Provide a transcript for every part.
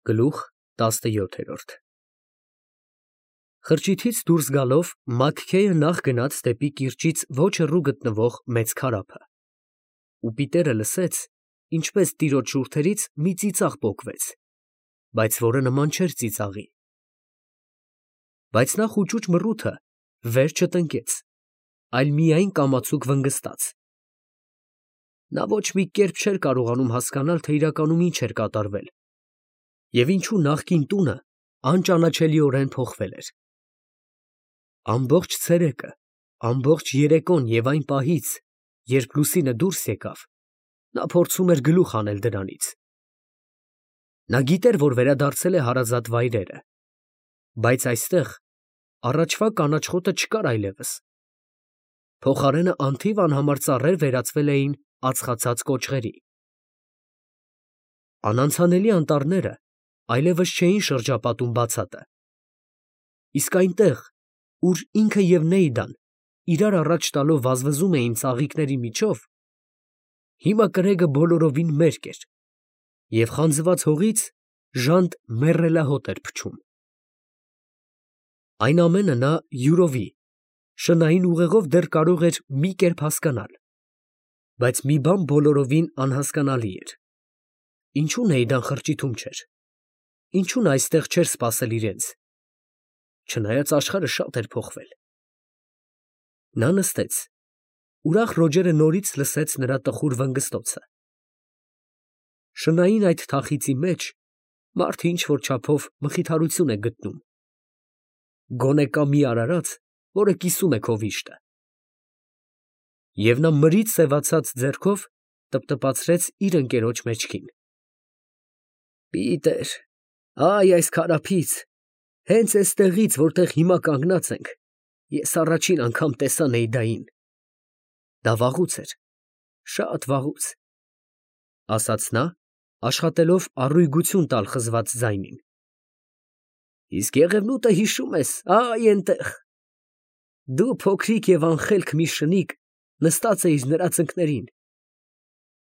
Գլուխ 17 Խրճիթից դուրս գալով Մաքքեյը նախ գնաց դեպի կիրճից ոչ հեռու գտնվող մեծ քարափը, ու Պիտերը լսեց, ինչպես տիրոջ շուրթերից մի ծիծաղ պոկվեց, բայց որը նման չէր ծիծաղի. բայց նա խուճուճ մռութը վեր չտնկեց, այլ միայն կամացուկ վնգստաց. նա ոչ մի կերպ չէր կարողանում հասկանալ, թե իրականում ինչ էր կատարվել, և ինչու նախկին տունը անճանաչելիորեն փոխվել էր. ամբողջ ցերեկը, ամբողջ երեկոն և այն պահից, երբ Լուսինը դուրս եկավ, նա փորձում էր գլուխ հանել դրանից. նա գիտեր, որ վերադարձել է հարազատ վայրերը, բայց այստեղ առաջվա կանաչ խոտը չկար այլևս, փոխարենը անթիվ անհամար ծառեր վերածվել էին ածխացած կոճղերի. անանցանելի անտառները այլևս չէին շրջապատում բացատը, իսկ այնտեղ, ուր ինքը և Նեյդան իրար առաջ տալով վազվզում էին ծաղիկների միջով, հիմա կրեգը բոլորովին մերկ էր, և խանձված հողից ժանտ մեռելահոտ էր փչում. այն ամենը նա յուրովի, շնային ուղեղով դեռ կարող էր մի կերպ հասկանալ, բայց մի բան բոլորովին անհասկանալի էր. ինչո՞ւ Նեյդան խրճիթում չէր, ինչո՞ւ նա այստեղ չէր սպասել իրենց, չնայած աշխարհը շատ էր փոխվել. նա նստեց, ուրախ Ռոջերը նորից լսեց նրա տխուր վնգստոցը. շնային այդ թախիծի մեջ մարդը ինչ֊որ չափով մխիթարություն է գտնում, գոնե կա մի արարած, որը կիսում է քո վիշտը, և նա մրից սևացած ձեռքով տպտպացրեց իր ընկերոջ մեջքին. Պիտեր, այ այս քարափից, հենց էստեղից, որտեղ հիմա կանգնած ենք, ես առաջին անգամ տեսա Նեյդային. դա վաղուց էր, շատ վաղուց, ասաց նա, աշխատելով առույգություն տալ խզված ձայնին. իսկ Եղևնուտը հիշում ես, այ էնտեղ, դու փոքրիկ և անխելք մի շնիկ նստած էիր նրա ծնկներին,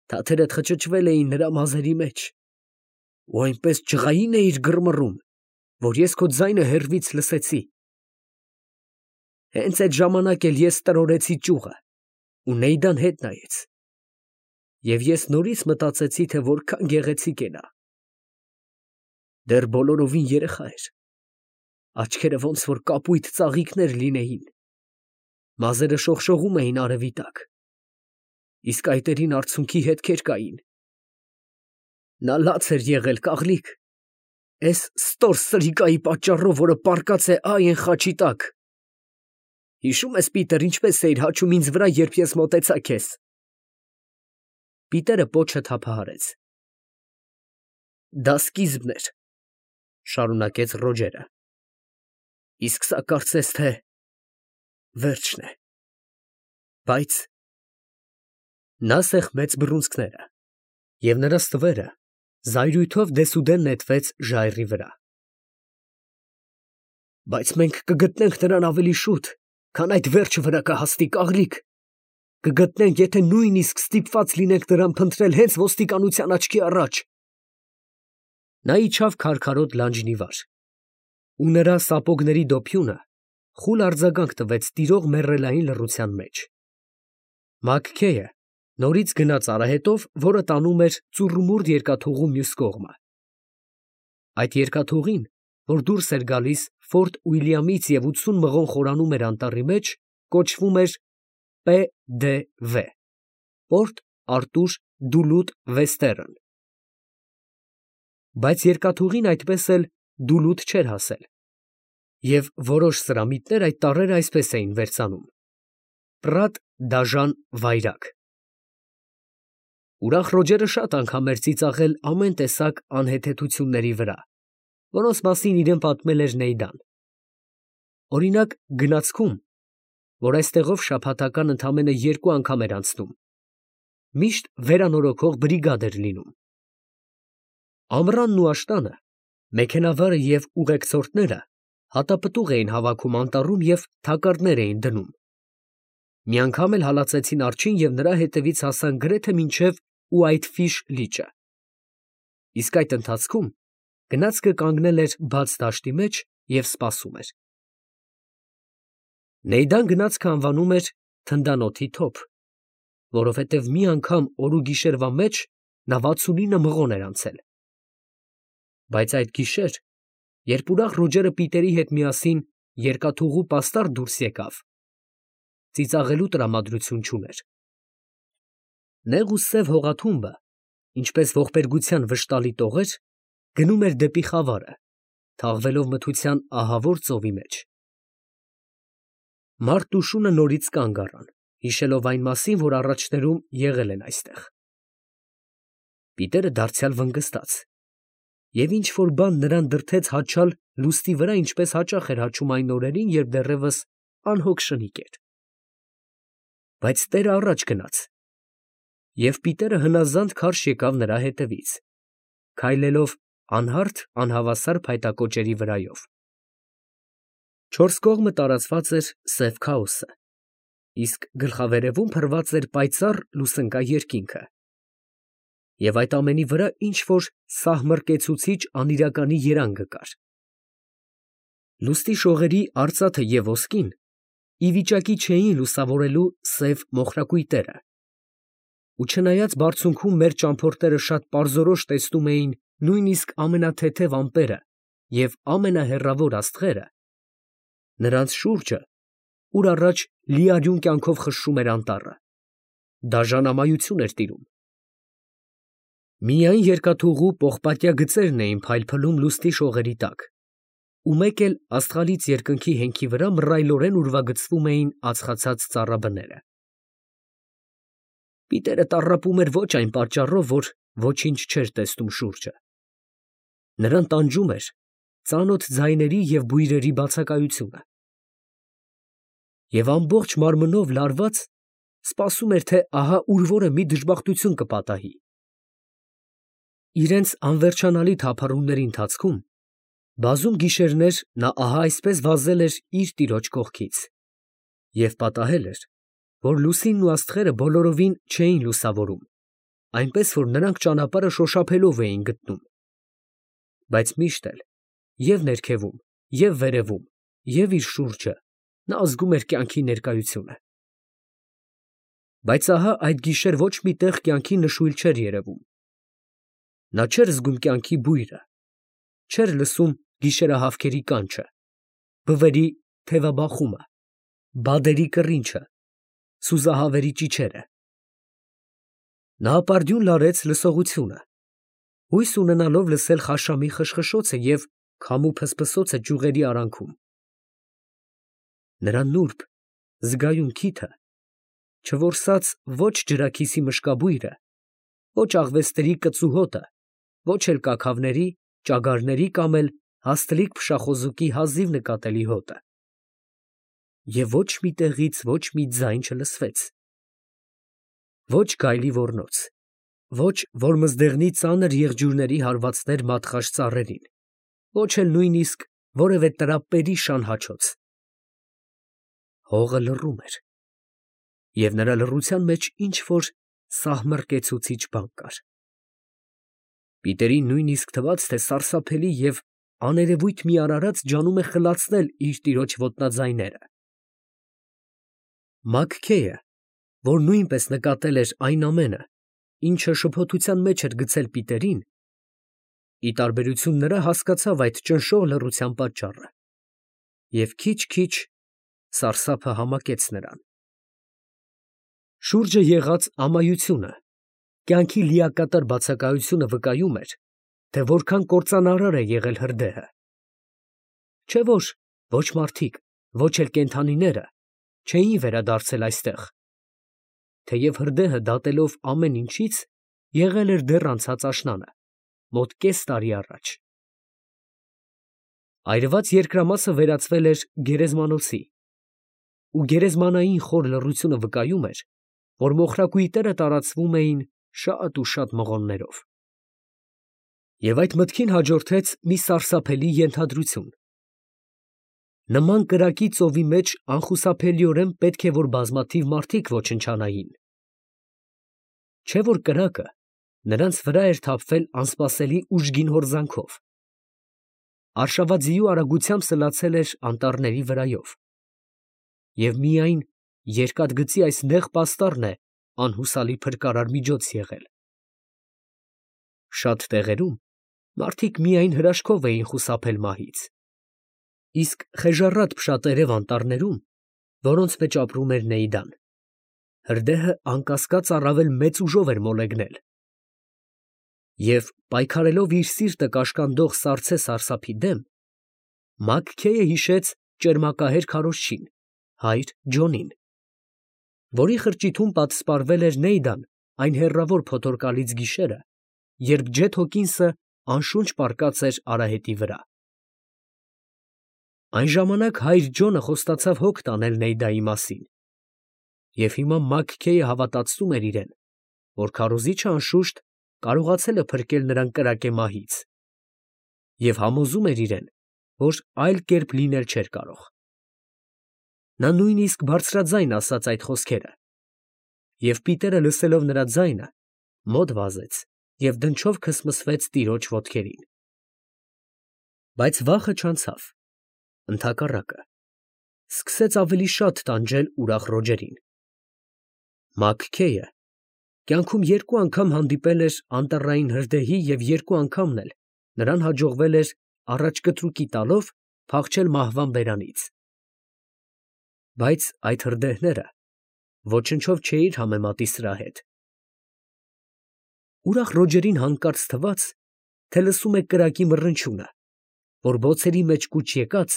թաթերդ խճճվել էին նրա մազերի մեջ, ու այնպես ջղային էիր գրմռում, որ ես քո ձայնը հեռվից լսեցի, հենց այդ ժամանակ էլ ես տրորեցի ճյուղը, ու Նեյդան հետ նայեց, և ես նորից մտածեցի, թե որքան գեղեցիկ է նա, դեռ բոլորովին երեխա էր, աչքերը ոնց որ կապույտ ծաղիկներ լինեին, մազերը շողշողում էին արևի տակ, իսկ այտերին արցունքի հետքեր կային, նա լաց էր եղել, կաղլիկ, էս ստոր սրիկայի պատճառով, որը պառկած է ա էն խաչի տակ, հիշում ես, Պիտեր, ինչպես էիր հաչում ինձ վրա, երբ ես մոտեցա քեզ. Պիտերը պոչը թափահարեց. դա սկիզբն էր, շարունակեց Ռոջերը, իսկ սա կարծես թե վերջն է, բայց նա սեղմեց բռունցքները, և նրա ստվերը զայրույթով դեսուդեն նետվեց ժայռի վրա. բայց մենք կգտնենք նրան ավելի շուտ, քան այդ վերջը վրա կհասնի, կաղլիկ, կգտնենք, եթե նույնիսկ ստիպված լինենք նրան փնտրել հենց ոստիկանության աչքի առաջ. նա իջավ քարքարոտ լանջն ի վար, ու նրա սապոգների դոփյունը խուլ արձագանք տվեց տիրող մեռելային լռության մեջ. Մաքքեյը նորից գնաց արահետով, որը տանում էր ծուռումուռ երկաթուղու մյուս կողմը. այդ երկաթուղին, որ դուրս էր գալիս Ֆորտ Ուիլյամից և 80 մղոն խորանում էր անտառի մեջ, կոչվում էր P.D.V. Պորտ Արտուր Դուլութ Վեստերն, բայց երկաթուղին այդպես էլ Դուլութ չէր հասել, և որոշ սրամիտներ այդ տառերը այսպես էին վերծանում. Պրատ դաժան վայրագ. ուրախ Ռոջերը շատ անգամ էր ծիծաղել ամեն տեսակ անհեթեթությունների վրա, որոնց մասին իրեն պատմել էր Նեյդան. օրինակ գնացքում, որ այստեղով շաբաթական ընդամենը 2 անգամ էր անցնում, միշտ վերանորոգող բրիգադ էր լինում. Ամռանն ու աշտանը մեքենավարը և ուղեկցորդները հատապտուղ էին հավաքում անտառում և թակարդներ էին դնում. մի անգամ էլ հալածեցին արջին և նրա հետևից հասան գրեթե մինչև Ուայթֆիշ լիճը, իսկ այդ ընթացքում Գնացքը կանգնել էր բաց դաշտի մեջ և սպասում էր։ Նեյդան գնացքը անվանում էր թնդանոթի թոփ, որովհետև մի անգամ օր ու գիշերվա մեջ նա 69 մղոն էր անցել։ Բայց այդ գիշեր, երբ ուրախ Ռոջերը Պիտերի հետ միասին երկաթուղու պաստառ դուրս եկավ, ծիծաղելու տրամադրություն չուներ։ Նեղ ու սև հողաթումբը, ինչպես ողբերգության վշտալի տողեր, գնում էր դեպի խավարը, թաղվելով մթության ահավոր ծովի մեջ։ Մարդն ու շունը նորից կանգ առան, հիշելով այն մասին, որ առաջներում եղել են այստեղ։ Պիտերը դարձյալ վնգստաց, և ինչ որ բան նրան դրդեց հաչալ լուստի վրա, ինչպես հաճախ էր հաչում այն օրերին, երբ դեռևս անհոգ շնիկ էր։ Բայց տերը առաջ գնաց, և Պիտերը հնազանդ քարշ եկավ նրա հետևից, քայլելով անհարթ անհավասար փայտակոճերի վրայով։ Չորս կողմը տարածված էր սև քաոսը, իսկ գլխավերևում փռված էր պայծառ լուսնկա երկինքը, և այդ ամենի վրա ինչ֊որ սահմռկեցուցիչ անիրականի երանգ կար։ Լուստի շողերի արծաթը և ոսկին ի վիճակի չէին լուսավորելու սև մոխրակույտերը, ու չնայած բարձունքում մեր ճամփորդները շատ պարզորոշ տեսնում էին նույնիսկ ամենաթեթև ամպերը և ամենահեռավոր աստղերը, նրանց շուրջը, ուր առաջ լիարյուն կյանքով խշշում էր անտառը, դաժան ամայություն էր տիրում։ Միայն երկաթուղու պողպատյա գծերն էին փայլփլում լուստի շողերի տակ, ու մեկ էլ աստղալից երկնքի հենքի վրա մռայլորեն ուրվագծվում էին ածխացած ծառաբները։ Պիտերը տառապում էր ոչ այն պատճառով, որ ոչինչ չէր տեսնում շուրջը. նրան տանջում էր ծանոթ ձայների և բույրերի բացակայությունը, և ամբողջ մարմնով լարված սպասում էր, թե ահա ուրվորը մի դժբախտություն կպատահի։ Իրենց անվերջանալի թափառումների ընթացքում բազում գիշերներ նա ահա այսպես վազել էր իր տիրոջ կողքից, և պատահել էր, որ լուսինն ու աստղերը բոլորովին չէին լուսավորում, այնպես որ նրանք ճանապարհը շոշափելով էին գտնում։ Բայց միշտ էլ և ներքևում, և վերևում, և իր շուրջը նա զգում էր կյանքի ներկայությունը։ Բայց ահա այդ գիշեր ոչ մի տեղ կյանքի նշույլ չէր երևում։ Նա չէր զգում կյանքի բույրը, չէր լսում գիշերահավքերի կանչը, բվերի թևաբախումը, բադերի կռինչը, սուզահավերի ճիչերը։ Նա ապարդյուն լարեց լսողությունը, հույս ունենալով լսել խաշամի խշխշոցը և քամու փսփսոցը ճյուղերի արանքում։ Նրա նուրբ, զգայուն քիթը չորսաց ոչ ջրաքիսի մշկաբույրը, ոչ աղվեսների կծու հոտը, ոչ էլ կաքավների, ճագարների կամ էլ հաստլիկ փշախոզուկի հազիվ նկատելի հոտը։ Եվ ոչ մի տեղից ոչ մի ձայն չլսվեց. ոչ գայլի ոռնոց, ոչ որմզդեղնի ծանր եղջյուրների հարվածներ մատխաշ ծառերին, ոչ էլ նույնիսկ որևէ տրապպերի շան հաչոց։ Հողը լռում էր, և նրա լռության մեջ ինչ֊որ սահմռկեցուցիչ բան կար։ Պիտերին նույնիսկ թվաց, թե սարսափելի և աներևույթ մի արարած ջանում է խլացնել իր տիրոջ ոտնաձայները։ Մագքեյը, որ նույնպես նկատել էր այն ամենը, ինչը շփոթության մեջ էր գցել Պիտերին, ի տարբերություն նրա հասկացավ այդ ճնշող լռության պատճառը, և քիչ֊քիչ սարսափը համակեց նրան։ Շուրջը եղած ամայությունը, կյանքի լիակատար բացակայությունը վկայում էր, թե որքան կործանարար է եղել հրդեհը։ Չէ՞ որ ոչ մարդիկ, ոչ էլ կենդանիները չէին վերադարձել այստեղ, թեև հրդեհը դատելով ամեն ինչից եղել էր դեռ անցած աշնանը, մոտ կես տարի առաջ։ Այրված երկրամասը վերածվել էր գերեզմանոցի, ու գերեզմանային խոր լռությունը վկայում էր, որ մոխրակույտերը տարածվում էին շատ ու շատ մղոններով։ Եվ այդ մտքին հաջորդեց մի սարսափելի ենթադրություն. նման կրակի ծովի մեջ անխուսափելիորեն պետք է որ բազմաթիվ մարդիկ ոչնչանային։ Չէ՞ որ կրակը նրանց վրա էր թափվել անսպասելի ուժգին հորձանքով, արշավաձիու արագությամբ սլացել էր անտառների վրայով, և միայն երկաթգծի այս նեղ պաստառն է անհուսալի փրկարար միջոց եղել։ Շատ տեղերում մարդիկ միայն հրաշքով էին խուսափել մահից, իսկ խեժառատ փշատերև անտառներում, որոնց մեջ ապրում էր Նեյդան, հրդեհը անկասկած առավել մեծ ուժով էր մոլեգնել, և պայքարելով իր սիրտը կաշկանդող սառցե սարսափի դեմ, Մաքքեյը հիշեց ճերմակահեր քարոզչին, հայր Ջոնին, որի խրճիթում պատսպարվել էր Նեյդան այն հեռավոր փոթորկալից գիշերը, երբ Ջեթ Հոքինսը անշունչ պառկած էր արահետի վրա։ Այն ժամանակ հայր Ջոնը խոստացավ հոգ տանել Նեյդայի մասին, և հիմա Մաքքեյը հավատացնում էր իրեն, որ քարոզիչը անշուշտ կարողացել է փրկել նրան կրակե մահից, և համոզում էր իրեն, որ այլ կերպ լինել չէր կարող։ Նա նույնիսկ բարձրաձայն ասաց այդ խոսքերը, և Պիտերը լսելով նրա ձայնը, մոտ վազեց և դնչով քսմսվեց տիրոջ ոտքերին։ Բայց վախը չանցավ, ընդհակառակը, սկսեց ավելի շատ տանջել ուրախ Ռոջերին։ Մաքքեյը կյանքում երկու անգամ հանդիպել էր անտառային հրդեհի և երկու անգամն էլ նրան հաջողվել էր առաջ կտրուկի տալով փախչել մահվան բերանից։ Բայց այդ հրդեհները ոչնչով չէիր համեմատի սրա հետ։ Ուրախ Ռոջերին հանկարծ թվաց, թե լսում է կրակի մռնչյունը, որ բոցերի մեջ կուչ եկած,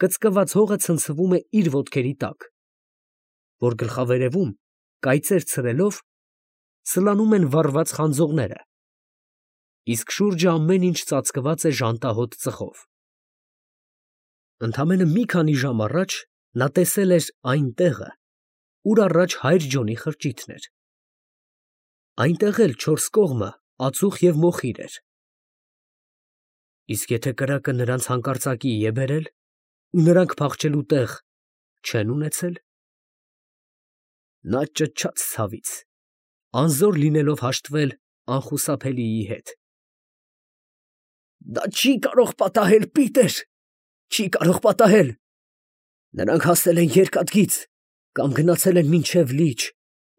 կծկված հողը ցնցվում է իր ոտքերի տակ, որ գլխավերևում, կայծեր ցրելով, սլանում են վառված խանձողները, իսկ շուրջը ամեն ինչ ծածկված է ժանտահոտ ծխով։ Ընդամենը մի քանի ժամ առաջ նա տեսել էր այն տեղը, ուր առաջ հայր Ջոնի խրճիթն էր։ Այնտեղ էլ չորս կողմը ածուխ և մոխիր էր։ Իսկ եթե կրակը նրանց հանկարծակիի է բերել, ու նրանք փախչելու տեղ չեն ունեցել։ Նա ճչաց ցավից, անզոր լինելով հաշտվել անխուսափելիի հետ։ «Դա չի կարող պատահել, Պիտեր, չի կարող պատահել. նրանք հասել են երկաթգիծ կամ գնացել են մինչև լիճ,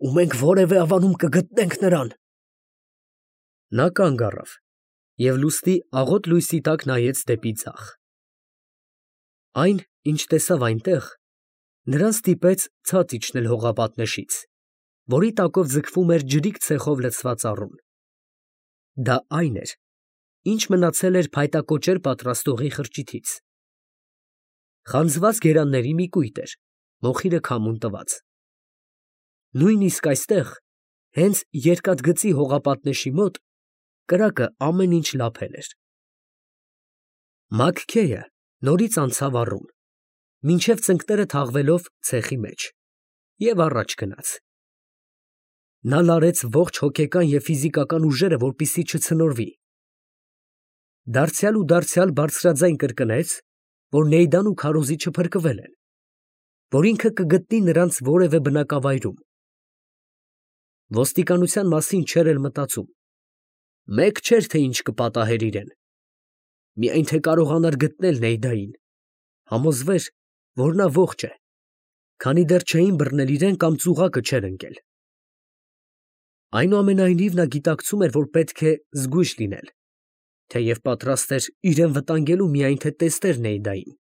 ու մենք որևէ ավանում կգտնենք նրան»։ Նա կանգ առավ և լուսնի աղոտ լույսի տակ նայեց դեպի ձախ։ Այն, ինչ տեսավ այնտեղ, նրան ստիպեց ցած իջնել հողապատնեշից, որի տակով ձգվում էր ջրիկ ցեխով լցված առուն։ Դա այն էր, ինչ մնացել էր փայտակոճեր պատրաստողի խրճիթից։ Խանձված գերանների մի կույտ էր, մոխիրը քամուն տված։ Նույնիսկ այստեղ, հենց երկաթգծի հողապատնեշի մոտ, կրակը ամեն ինչ լափել էր։ Մաքքեյը նորից անցավ առուն, մինչև ծնկները թաղվելով ցեխի մեջ, և առաջ գնաց։ Նա լարեց ողջ հոգեկան և ֆիզիկական ուժերը, որպեսզի չցնորվի։ Դարձյալ ու դարձյալ բարձրաձայն կրկնեց, որ Նեյդան ու քարոզիչը փրկվել են, որ ինքը կգտնի նրանց որևէ բնակավայրում։ Ոստիկանության մասին չէր էլ մտածում։ Մեկ չէր, թե ինչ կպատահեր իրեն։ Միայն թե կարողանար գտնել Նեյդային, համոզվեր, որ նա ողջ է, քանի դեռ չէին բռնել իրեն կամ ծուղակը չէր ընկել։ Այնուամենայնիվ նա գիտակցում էր, որ պետք է զգույշ լինել, թեև պատրաստ էր իրեն վտանգելու, միայն թե տեսներ Նեյդային։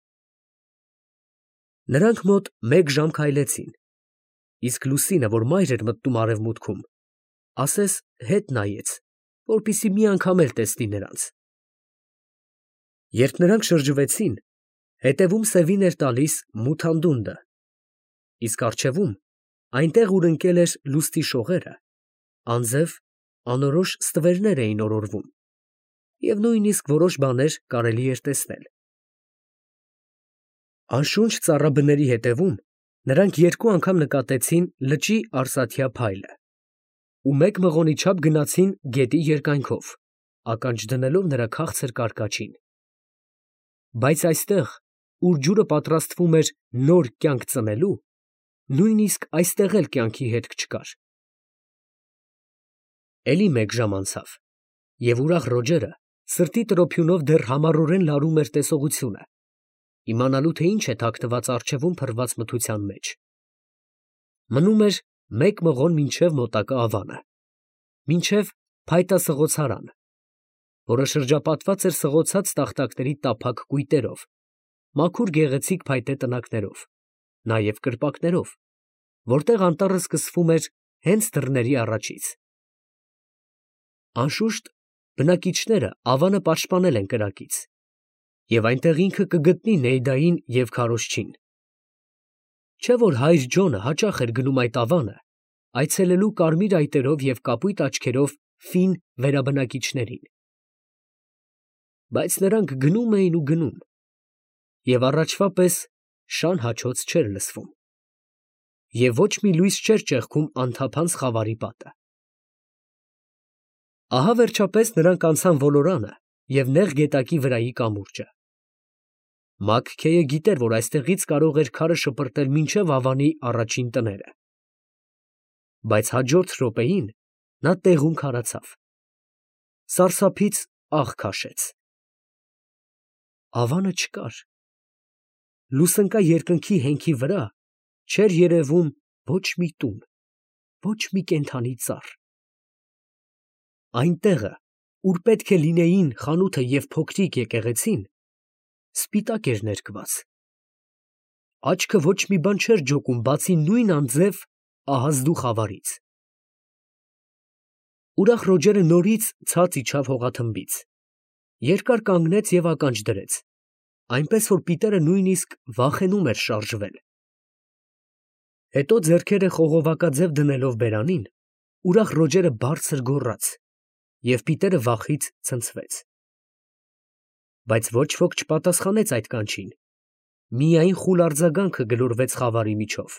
Նրանք մոտ մեկ ժամ քայլեցին, իսկ լուսինը, որ մայր էր մտնում արևմուտքում, ասես հետ նայեց, որպեսզի մի անգամ էլ տեսնի նրանց։ Երբ նրանք շրջվեցին, հետևում սևին էր տալիս մութ անդունդը, իսկ առջևում, այնտեղ, ուր ընկել էր լուսնի շողերը, անձև անորոշ ստվերներ էին օրորվում, և նույնիսկ որոշ բաներ կարելի էր տեսնել։ Անշունչ ծառաբների հետևում նրանք երկու անգամ նկատեցին լճի արծաթյա փայլը ու մեկ մղոնի չափ գնացին գետի երկայնքով, ականջ դնելով նրա քաղցր կարկաչին։ Բայց այստեղ, ուր ջուրը պատրաստվում էր նոր կյանք ծնելու, նույնիսկ այստեղ էլ կյանքի հետք չկար։ Էլի մեկ ժամ անցավ, և ուրախ Ռոջերը Սրտի տրոփյունով դեռ համառորեն լարում էր տեսողությունը, իմանալու թե ինչ է թաքնված առջևում փռված մթության մեջ։ Մնում էր մեկ մղոն մինչև մոտակա ավանը, մինչև փայտասղոցարան, որը շրջապատված էր սղոցած տախտակների տափակ կույտերով, մաքուր գեղեցիկ փայտե տնակներով, նաև կրպակներով, որտեղ անտառը սկսվում էր հենց դռների առաջից։ Անշուշտ, բնակիչները ավանը պաշտպանել են կրակից, և այնտեղ ինքը կգտնի Նեյդային և քարոզչին։ Չէ՞ որ հայր Ջոնը հաճախ էր գնում այդ ավանը, այցելելու կարմիր այտերով և կապույտ աչքերով ֆին վերաբնակիչներին։ Բայց նրանք գնում էին ու գնում, և առաջվա պես շան հաչոց չէր լսվում, և ոչ մի լույս չէր ճեղքում անթափանց խավարի պատը։ Ահա վերջապես նրանք անցան ոլորանը և նեղ գետակի վրայի կամուրջը։ Մաքքեյը գիտեր, որ այստեղից կարող էր քարը շպրտել մինչև ավանի առաջին տները։ Բայց հաջորդ րոպեին նա տեղում քարացավ, սարսափից աղ քաշեց։ Ավանը չկար։ Լուսնկա երկնքի հենքի վրա չէր երևում ոչ մի տուն, ոչ մի կենդանի ծառ։ Այն տեղը, ուր պետք է լինեին խանութը և փոքրիկ եկեղեցին, սպիտակ էր ներկված։ Աչքը ոչ մի բան չէր ջոկում, բացի նույն անձև ահազդու խավարից։ Ուրախ Ռոջերը նորից ցած իջավ հողաթմբից, երկար կանգնեց և ականջ դրեց, այնպես որ Պիտերը նույնիսկ վախենում էր շարժվել։ Հետո ձեռքերը խողովակաձև դնելով բերանին, ուրախ Ռոջերը բարձր գոռաց, և Պիտերը վախից ցնցվեց։ Բայց ոչ ոք չպատասխանեց այդ կանչին, միայն խուլ արձագանքը գլորվեց խավարի միջով։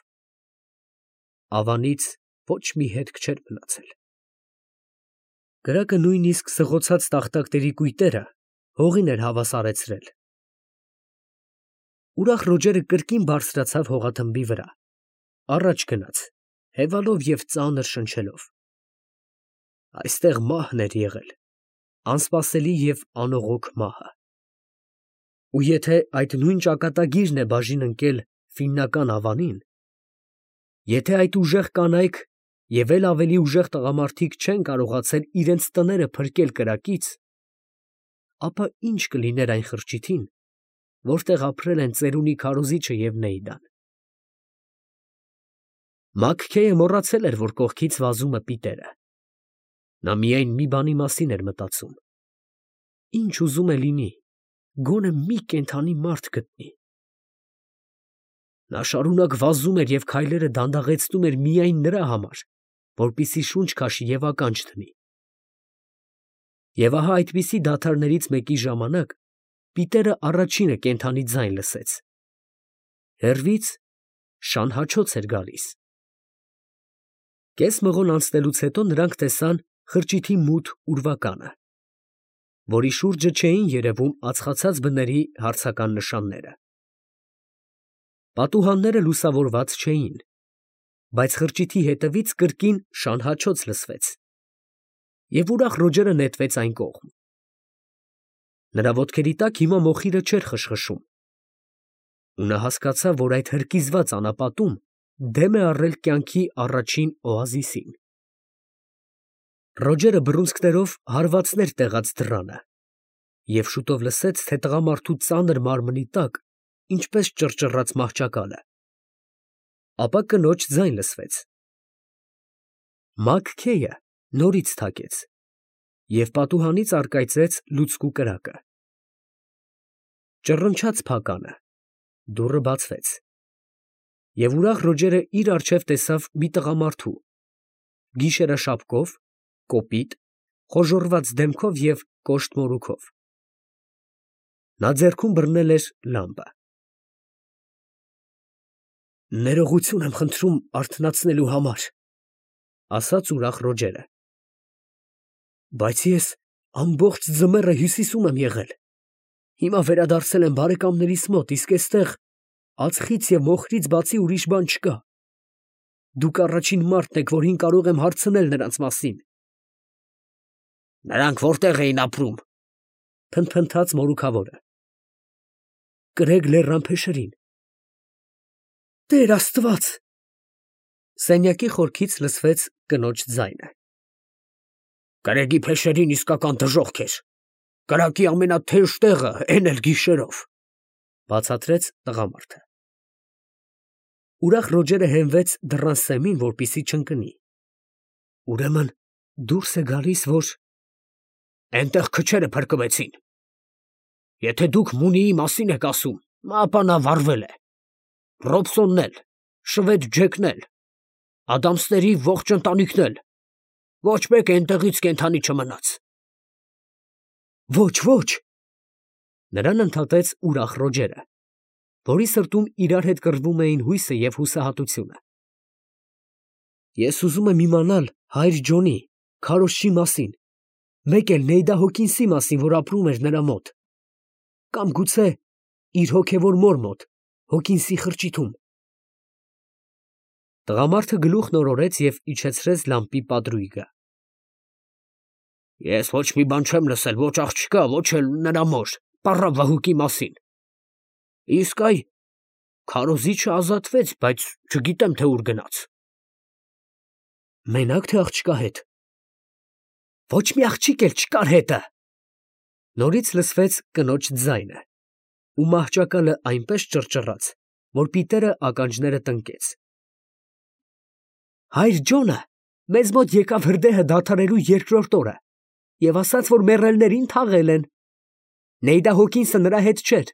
Ավանից ոչ մի հետք չէր մնացել։ Կրակը նույնիսկ սղոցած տախտակների կույտերը հողին էր հավասարեցրել։ Ուրախ Ռոջերը կրկին բարձրացավ հողաթմբի վրա, առաջ գնաց, հևալով և ծանր շնչելով։ Այստեղ մահն էր եղել, անսպասելի և անողոք մահը։ Ու եթե այդ նույն ճակատագիրն է բաժին ընկել ֆիննական ավանին, եթե այդ ուժեղ կանայք և էլ ավելի ուժեղ տղամարդիկ չեն կարողացել իրենց տները փրկել կրակից, ապա ի՞նչ կլիներ այն խրճիթին, որտեղ ապրել են ծերունի քարոզիչը և Նեյդան։ Մաքքեյը մոռացել էր, որ կողքից վազում է Պիտերը։ Նա միայն մի բանի մասին էր մտածում. ինչ ուզում է լինի, գոնե մի կենդանի մարդ գտնի։ Նա շարունակ վազում էր և քայլերը դանդաղեցնում էր միայն նրա համար, որպեսզի շունչ քաշի և ականջ դնի։ Եվ ահա այդպիսի դադարներից մեկի ժամանակ Պիտերը առաջինը կենդանի ձայն լսեց։ Հեռվից շան հաչոց էր գալիս։ Կես մղոն անցնելուց հետո նրանք տեսան խրճիթի մութ ուրվականը, որի շուրջը չէին երևում ածխացած բների հարցական նշանները։ Պատուհանները լուսավորված չէին, բայց խրճիթի հետևից կրկին շան հաչոց լսվեց, և ուրախ Ռոջերը նետվեց այն կողմ։ Նրա ոտքերի տակ հիմա մոխիրը չէր խշխշում, ու նա հասկացավ, որ այդ հրկիզված անապատում դեմ է առել կյանքի առաջին օազիսին։ Ռոջերը բռունցքներով հարվածներ տեղաց դռանը և շուտով լսեց, թե տղամարդու ծանր մարմնի տակ ինչպես ճռճռաց մահճակալը։ Ապա կնոջ ձայն լսվեց։ Մաքքեյը նորից թակեց, և պատուհանից առկայծեց լուցկու կրակը։ Ճռնչաց փականը, դուռը բացվեց, և ուրախ Ռոջերը իր առջև տեսավ մի տղամարդու, գիշերաշապկով, կոպիտ, խոժոռված դեմքով և կոշտ մորուքով։ Նա ձեռքում բռնել էր լամպը։ «Ներողություն եմ խնդրում արթնացնելու համար», ֊ ասաց ուրախ Ռոջերը, «բայց ես ամբողջ ձմեռը Հյուսիսում եմ եղել, հիմա վերադարձել եմ բարեկամներիս մոտ, իսկ էստեղ ածխից և մոխրից բացի ուրիշ բան չկա։ Դուք առաջին մարդն եք, որին կարող եմ հարցնել նրանց մասին»։ «Նրանք որտե՞ղ էին ապրում»։ փնթփնթաց մորուքավորը։ Կրեգ լեռան փեշերին։ Տեր Աստված։ Սենյակի խորքից լսվեց կնոջ ձայնը։ Կրեգի փեշերին իսկական դժոխք էր։ Կրակի ամենաթեժ տեղը էն էլ գիշերով, բացատրեց տղամարդը։ Ուրախ Ռոջերը հենվեց դռան սեմին, որպեսզի չընկնի։ Ուրեմն դուրս է գալիս, որ այնտեղ քչերը փրկվեցին։ Եթե դուք Մունիի մասին եք ասում, ապա նա վառվել է։ Ռոբսոնն էլ, շվեդ Ջեքն էլ, Ադամսների ողջ ընտանիքն էլ, ոչ մեկ այնտեղից կենդանի չմնաց։ Ոչ, ոչ։ Նրան ընդհատեց ուրախ Ռոջերը, որի սրտում իրար հետ կռվում էին հույսը և հուսահատությունը։ Ես ուզում եմ իմանալ հայր Ջոնի, քարոզչի մասին, մեկ էլ Նեյդա Հոքինսի մասին, որ ապրում էր նրա մոտ, կամ գուցե իր հոգևոր մոր մոտ, Հոքինսի խրճիթում։ Տղամարդը գլուխն օրորեց և իջեցրեց լամպի պատրույգը։ Ես ոչ մի բան չեմ լսել, ոչ աղջկա, ոչ էլ նրա մոր, պառա Վահուկի մասին։ Իսկ այ քարոզիչը ազատվեց, բայց չգիտեմ, թե ուր գնաց։ Մենակ թե աղջկա հետ։ Ոչ մի աղջիկ էլ չկար հետը։ Նորից լսվեց կնոջ ձայնը, ու մահճակալը այնպես ճռճռաց, որ պիտերը ականջները տնկեց։ Հայր Ջոնը մեզ մոտ եկավ հրդեհը դադարելու երկրորդ օրը և ասաց, որ մեռելներին թաղել են։ Նեյդա Հոքինսը նրա հետ չէր։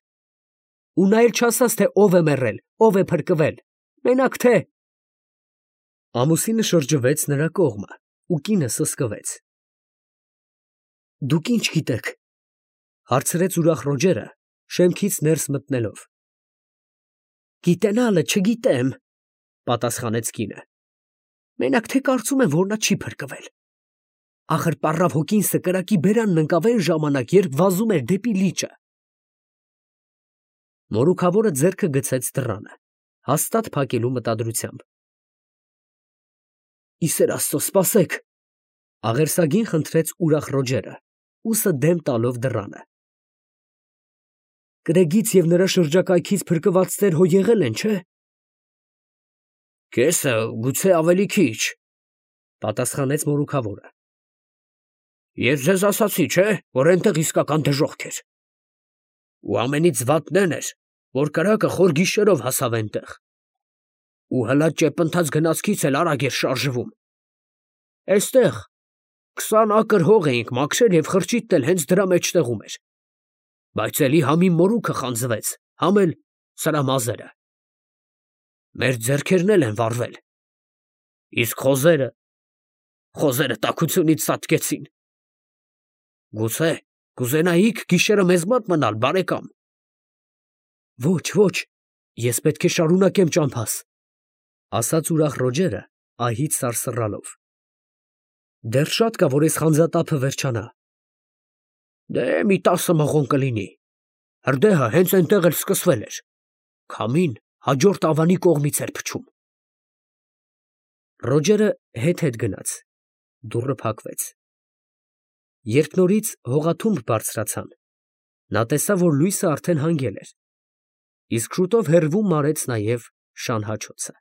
Ու նա էլ չասաց, թե ով է մեռել, ով է փրկվել, մենակ թե… Ամուսինը շրջվեց նրա կողմը, ու կինը սսկվեց։ Դուք ի՞նչ գիտեք, հարցրեց ուրախ Ռոջերը, շեմքից ներս մտնելով։ Գիտենալը չգիտեմ, պատասխանեց կինը։ Մենակ թե կարծում եմ, որ նա չի փրկվել։ Ախր պառավ Հոքինսը կրակի բերանն ընկավ այն ժամանակ, երբ վազում էր դեպի լիճը։ Մորուքավորը ձեռքը գցեց դռանը, հաստատ փակելու մտադրությամբ։ Իսեր Աստծո, սպասեք, աղերսագին խնդրեց ուրախ Ռոջերը, ուսը դեմ տալով դռանը։ Կրեգից և նրա շրջակայքից փրկվածներ հո եղել են, չէ՞։ Կեսը գուցե ավելի քիչ, պատասխանեց մորուքավորը։ Ես ձեզ ասացի, չէ՞, որ այնտեղ իսկական դժոխք էր։ Ու ամենից վատն էն էր, որ կրակը խոր գիշերով հասավ այնտեղ։ Ու հլա ճեպընթաց գնացքից էլ արագ էր շարժվում։ Էստեղ 20 ակր հող էինք մաքրել և խրճիթն էլ հենց դրա մեջտեղում էր։ Բայց էլի համ իմ մորուքը խանձվեց, համ էլ սրա մազերը։ Մեր ձեռքերն էլ են վառվել։ Իսկ խոզերը տաքությունից ծածկեցին։ Գուցե կուզենայիք գիշերը մեզ մոտ մնալ, բարեկամ։ Ոչ, ոչ, ես պետք է շարունակեմ ճամփաս, ասաց ուրախ Ռոջերը, ահից սարսռալով։ Դեռ շատ կա, որ այս խանձատափը վերջանա։ Դե մի 10 մղոն կլինի։ Հրդեհը հենց այնտեղ էլ սկսվել էր։ Քամին հաջորդ ավանի կողմից էր փչում։ Ռոջերը հետ գնաց, դուռը փակվեց։ Երբ նորից հողաթումբ բարձրացան, նա տեսավ, որ լույսը արդեն հանգել էր, իսկ շուտով հեռվում մարեց նաև շան հաչոցը։